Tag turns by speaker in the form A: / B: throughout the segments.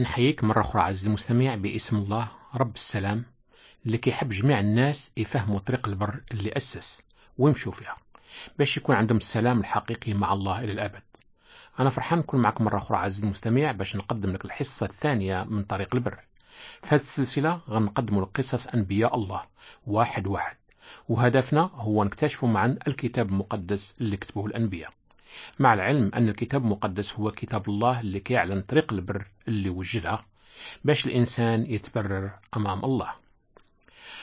A: نحييك مرة أخرى عزيزي المستمع باسم الله رب السلام اللي كيحب جميع الناس يفهموا طريق البر اللي أسس ويمشوا فيها باش يكون عندهم السلام الحقيقي مع الله إلى الأبد. أنا فرحان نكون معكم مرة أخرى عزيزي المستمع باش نقدم لك الحصة الثانية من طريق البر. في هذه السلسلة غنقدم لك قصص أنبياء الله واحد واحد، وهدفنا هو نكتشف معا الكتاب المقدس اللي كتبوه الأنبياء، مع العلم أن الكتاب المقدس هو كتاب الله اللي كيعلن طريق البر اللي وجدها باش الإنسان يتبرر أمام الله.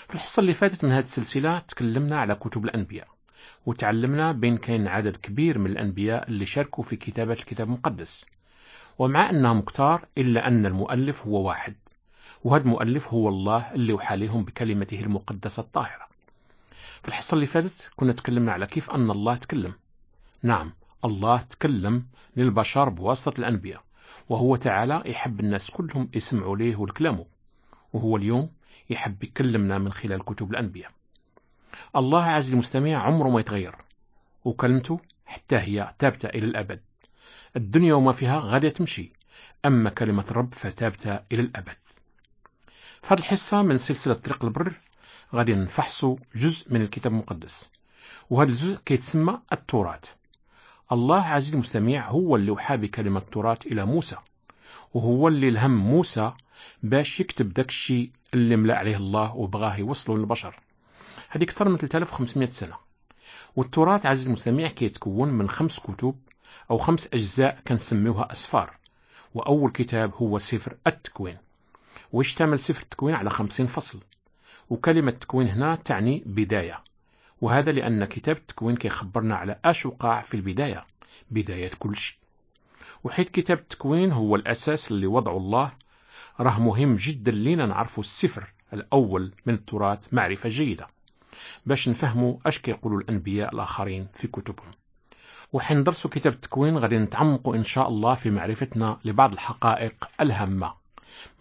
A: في الحصة اللي فاتت من هذه السلسلة تكلمنا على كتب الأنبياء، وتعلمنا بين كاين عدد كبير من الأنبياء اللي شاركوا في كتابة الكتاب المقدس، ومع أنهم كتار إلا أن المؤلف هو واحد، وهذا المؤلف هو الله اللي وحى لهم بكلمته المقدسة الطاهرة. في الحصة اللي فاتت كنا تكلمنا على كيف أن الله تكلم. نعم، الله تكلم للبشر بواسطة الأنبياء، وهو تعالى يحب الناس كلهم يسمعوا ليه ولكلامه، وهو اليوم يحب يكلمنا من خلال كتب الأنبياء. الله عز المستمع عمره ما يتغير، وكلمته حتى هي ثابتة إلى الأبد. الدنيا وما فيها غادية تمشي، أما كلمة الرب فثابتة إلى الأبد. في هذه الحصة من سلسلة طريق البر غادي نفحصوا جزء من الكتاب المقدس، وهذا الجزء كيتسمى التوراة. الله عزيز المستمع هو اللي وحى بكلمة التوراة إلى موسى، وهو اللي الهم موسى باش يكتب داك الشيء اللي ملأ عليه الله وبغاه يوصله للبشر. هذه أكثر من 3500 سنة. والتوراة عزيز المستمع كيتكون من 5 كتب أو 5 أجزاء كنسميوها أسفار، وأول كتاب هو سفر التكوين، ويشتمل سفر التكوين على 50 فصل. وكلمة تكوين هنا تعني بداية، وهذا لأن كتاب التكوين كيخبرنا على أش وقع في البداية، بداية كل شيء. وحيث كتاب التكوين هو الأساس اللي وضعه الله، راه مهم جدا لينا نعرفوا السفر الأول من التوراة معرفة جيدة باش نفهموا أش كيقولوا الأنبياء الآخرين في كتبهم. وحين ندرسوا كتاب التكوين غادي نتعمقوا إن شاء الله في معرفتنا لبعض الحقائق الهامة.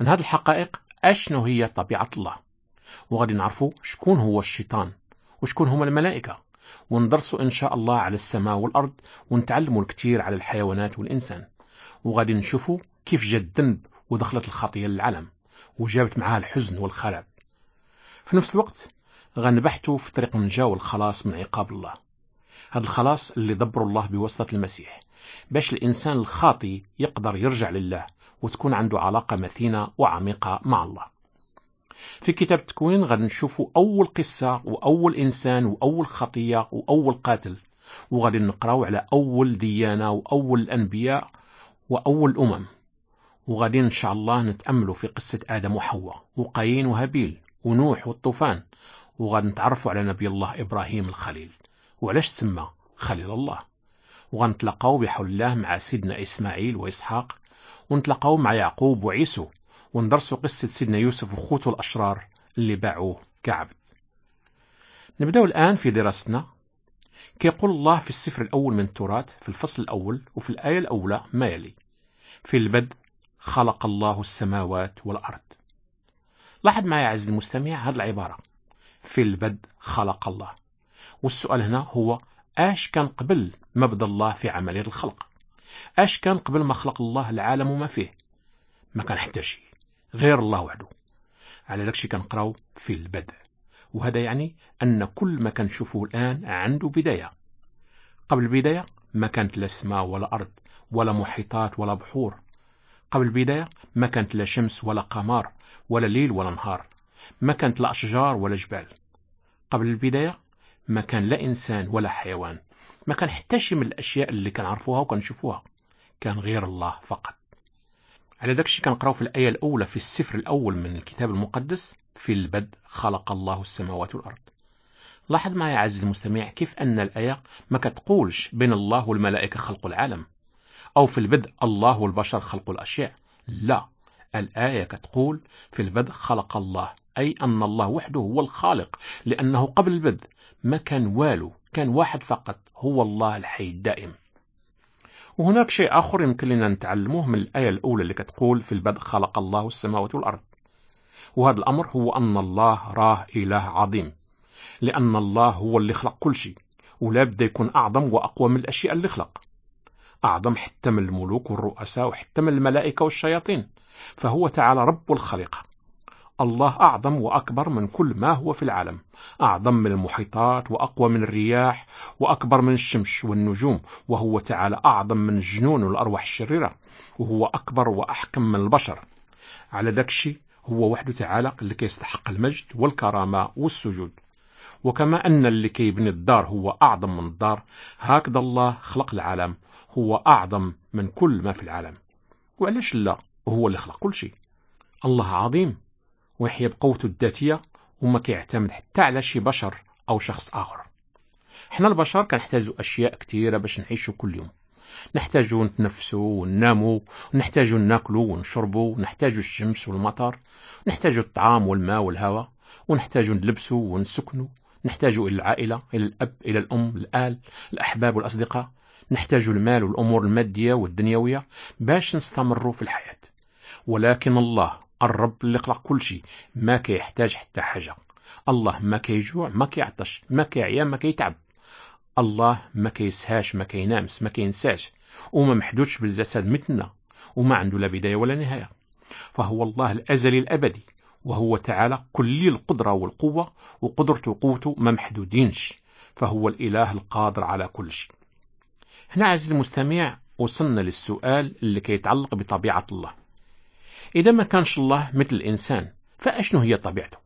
A: من هذه الحقائق أشنو هي طبيعة الله، وغادي نعرفوا شكون هو الشيطان وشكون هما الملائكة، وندرسوا إن شاء الله على السماء والأرض، ونتعلموا الكثير على الحيوانات والإنسان، وغادي نشوفوا كيف جا الذنب ودخلت الخطية للعالم وجابت معها الحزن والخراب. في نفس الوقت غنبحثوا في طريق النجاة والخلاص من عقاب الله، هذا الخلاص اللي دبر الله بواسطة المسيح باش الإنسان الخاطي يقدر يرجع لله وتكون عنده علاقة متينة وعميقة مع الله. في كتاب التكوين غادي نشوفوا أول قصة وأول إنسان وأول خطية وأول قاتل، وغادي نقراو على أول ديانة وأول الأنبياء وأول الأمم، وغادي إن شاء الله نتأملوا في قصة آدم وحواء وقايين وهابيل ونوح والطوفان، وغادي نتعرفوا على نبي الله إبراهيم الخليل وعلاش تسمى خليل الله، وغنتلاقاو بحول الله مع سيدنا إسماعيل وإسحاق، ونتلاقاو مع يعقوب وعيسو، وندرسوا قصة سيدنا يوسف وخوته الأشرار اللي باعوه كعبد. نبدأ الآن في دراستنا. كيقول الله في السفر الأول من التوراة في الفصل الأول وفي الآية الأولى ما يلي: في البدء خلق الله السماوات والأرض. لاحظ معي عزيزي المستمع هذه العبارة، في البدء خلق الله. والسؤال هنا هو آش كان قبل ما بدا الله في عملية الخلق؟ آش كان قبل ما خلق الله العالم وما فيه؟ ما كان حتى شيء غير الله وحده. على داكشي كنقراو في البدء، وهذا يعني أن كل ما كنشوفه الآن عنده بداية. قبل البداية ما كانت لا سماء ولا أرض ولا محيطات ولا بحور. قبل البداية ما كانت لا شمس ولا قمر ولا ليل ولا نهار، ما كانت لا أشجار ولا جبال. قبل البداية ما كان لا إنسان ولا حيوان، ما كان حتى شيء من الأشياء اللي كنعرفوها وكنشوفوها، كان غير الله فقط. على داكشي كنقراو في الآية الأولى في السفر الأول من الكتاب المقدس: في البدء خلق الله السماوات والأرض. لاحظ معي عزيزي المستمع كيف أن الآية ما كتقولش بين الله والملائكة خلقوا العالم، أو في البدء الله والبشر خلقوا الأشياء. لا، الآية كتقول في البدء خلق الله، أي أن الله وحده هو الخالق، لأنه قبل البدء ما كان والو، كان واحد فقط هو الله الحي الدائم. وهناك شيء آخر يمكن لنا نتعلمه من الآية الأولى اللي كتقول في البدء خلق الله السماوات والأرض، وهذا الأمر هو أن الله راه إله عظيم، لأن الله هو اللي خلق كل شيء، ولا بد يكون أعظم وأقوى من الأشياء اللي خلق، أعظم حتى من الملوك والرؤساء وحتى من الملائكة والشياطين. فهو تعالى رب الخليقة. الله أعظم وأكبر من كل ما هو في العالم، أعظم من المحيطات وأقوى من الرياح وأكبر من الشمس والنجوم، وهو تعالى أعظم من الجنون والأرواح الشريرة، وهو أكبر وأحكم من البشر. على ذاك الشيء هو وحده تعالى اللي كيستحق المجد والكرامة والسجود. وكما أن اللي كيبني الدار هو أعظم من الدار، هكذا الله خلق العالم، هو أعظم من كل ما في العالم. وعلاش لا؟ هو اللي خلق كل شيء. الله عظيم ويحيا بقوته الذاتية وما كيعتمد حتى على شي بشر أو شخص آخر. حنا البشر كنحتاجوا أشياء كثيرة باش نعيشوا كل يوم. نحتاجوا نتنفسوا ونناموا، ونحتاجوا ناكلوا ونشربوا، ونحتاجوا الشمس والمطر، نحتاجوا الطعام والماء والهواء، ونحتاجوا نلبسوا ونسكنوا، نحتاجوا إلى العائلة، إلى الأب، إلى الأم، الآل، الأحباب والأصدقاء، نحتاجوا المال والأمور المادية والدنيوية باش نستمروا في الحياة. ولكن الله الرب اللي خلق كل شيء ما كيحتاج حتى حاجة. الله ما كيجوع، ما كيعطش، ما كيعيا، ما كيتعب. الله ما كيسهاش، ما كينامس، ما كينساش، وما محدودش بالجسد مثلنا، وما عنده لا بداية ولا نهاية. فهو الله الأزلي الأبدي، وهو تعالى كلي القدرة والقوة، وقدرته وقوته ما محدودينش، فهو الإله القادر على كل شيء. هنا عزيزي المستمع وصلنا للسؤال اللي كيتعلق بطبيعة الله. إذا ما كانش الله مثل الإنسان فأشنو هي طبيعته؟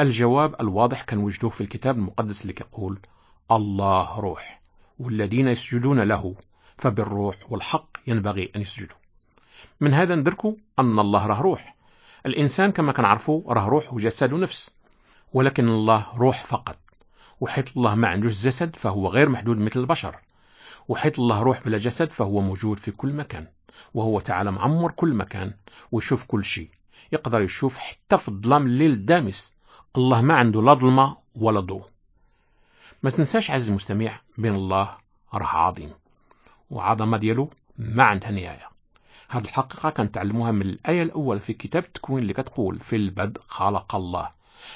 A: الجواب الواضح كان وجدوه في الكتاب المقدس اللي كيقول الله روح، والذين يسجدون له فبالروح والحق ينبغي أن يسجدوا. من هذا ندركوا أن الله راه روح. الإنسان كما كنعرفوا راه روح وجسد ونفس، ولكن الله روح فقط. وحيث الله ما عندوش جسد فهو غير محدود مثل البشر، وحيث الله روح بلا جسد فهو موجود في كل مكان، وهو تعالى معمر كل مكان ويشوف كل شيء، يقدر يشوف حتى في الظلام الليل الدامس. الله ما عنده لا ظلمة ولا ضوء. ما تنساش عزيزي المستمع بين الله راه عظيم، وعظمة ديالو ما عندها نهاية. هذه الحقيقة كنتعلموها من الآية الأولى في كتاب التكوين اللي كتقول في البدء خلق الله.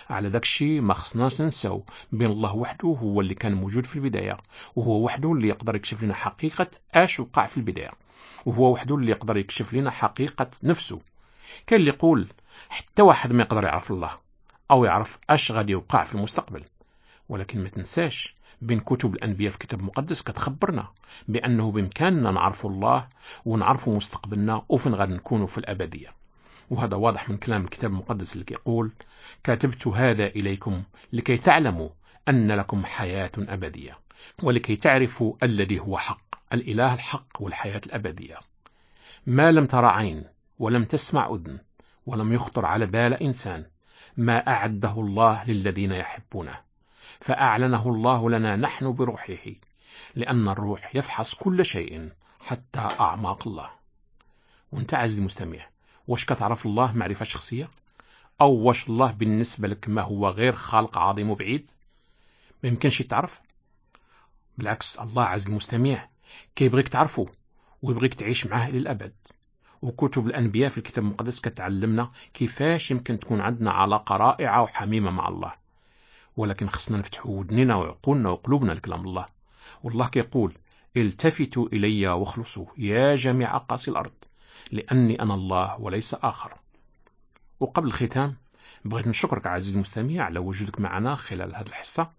A: على داك الشيء ما خصناش ننساو بين الله وحده هو اللي كان موجود في البداية، وهو وحده اللي يقدر يكشف لنا حقيقة اش وقع في البداية، وهو وحده اللي يقدر يكشف لنا حقيقة نفسه. كان اللي يقول حتى واحد ما يقدر يعرف الله أو يعرف اش غادي يوقع في المستقبل، ولكن ما تنساش بين كتب الأنبياء في كتاب المقدس كتخبرنا بأنه بإمكاننا نعرف الله ونعرف مستقبلنا وفين غادي نكونوا في الأبدية. وهذا واضح من كلام الكتاب المقدس اللي كيقول كتبت هذا إليكم لكي تعلموا أن لكم حياة أبدية، ولكي تعرفوا الذي هو حق، الإله الحق والحياة الأبدية. ما لم ترى عين ولم تسمع أذن ولم يخطر على بال إنسان ما أعده الله للذين يحبونه، فأعلنه الله لنا نحن بروحه، لأن الروح يفحص كل شيء حتى أعماق الله. وانت عزيزي المستمع، واش كتعرف الله معرفة شخصية؟ أو واش الله بالنسبة لك ما هو غير خالق عظيم وبعيد ما يمكنش تعرف؟ بالعكس، الله عز المستمع كيبغيك تعرفه ويبغيك تعيش معاه للأبد. وكتب الأنبياء في الكتاب المقدس كتعلمنا كيفاش يمكن تكون عندنا علاقة رائعة وحميمة مع الله، ولكن خصنا نفتحوا ودننا وعقولنا وقلوبنا لكلام الله. والله كيقول التفتوا إلي واخلصوا يا جميع أقاصي الأرض، لأني أنا الله وليس آخر. وقبل الختام بغيت نشكرك عزيزي المستمع على وجودك معنا خلال هذه الحصة،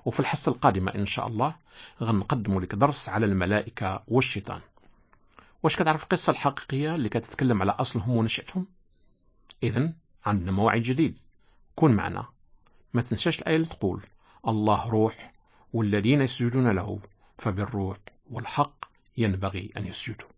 A: وفي الحصة القادمة إن شاء الله غنقدم لك درس على الملائكة والشيطان. واش كتعرف القصة الحقيقية اللي كتتكلم على أصلهم ونشأتهم؟ إذن عندنا موعد جديد، كن معنا. ما تنساش الآية اللي تقول الله روح والذين يسجدون له فبالروح والحق ينبغي أن يسجدوا.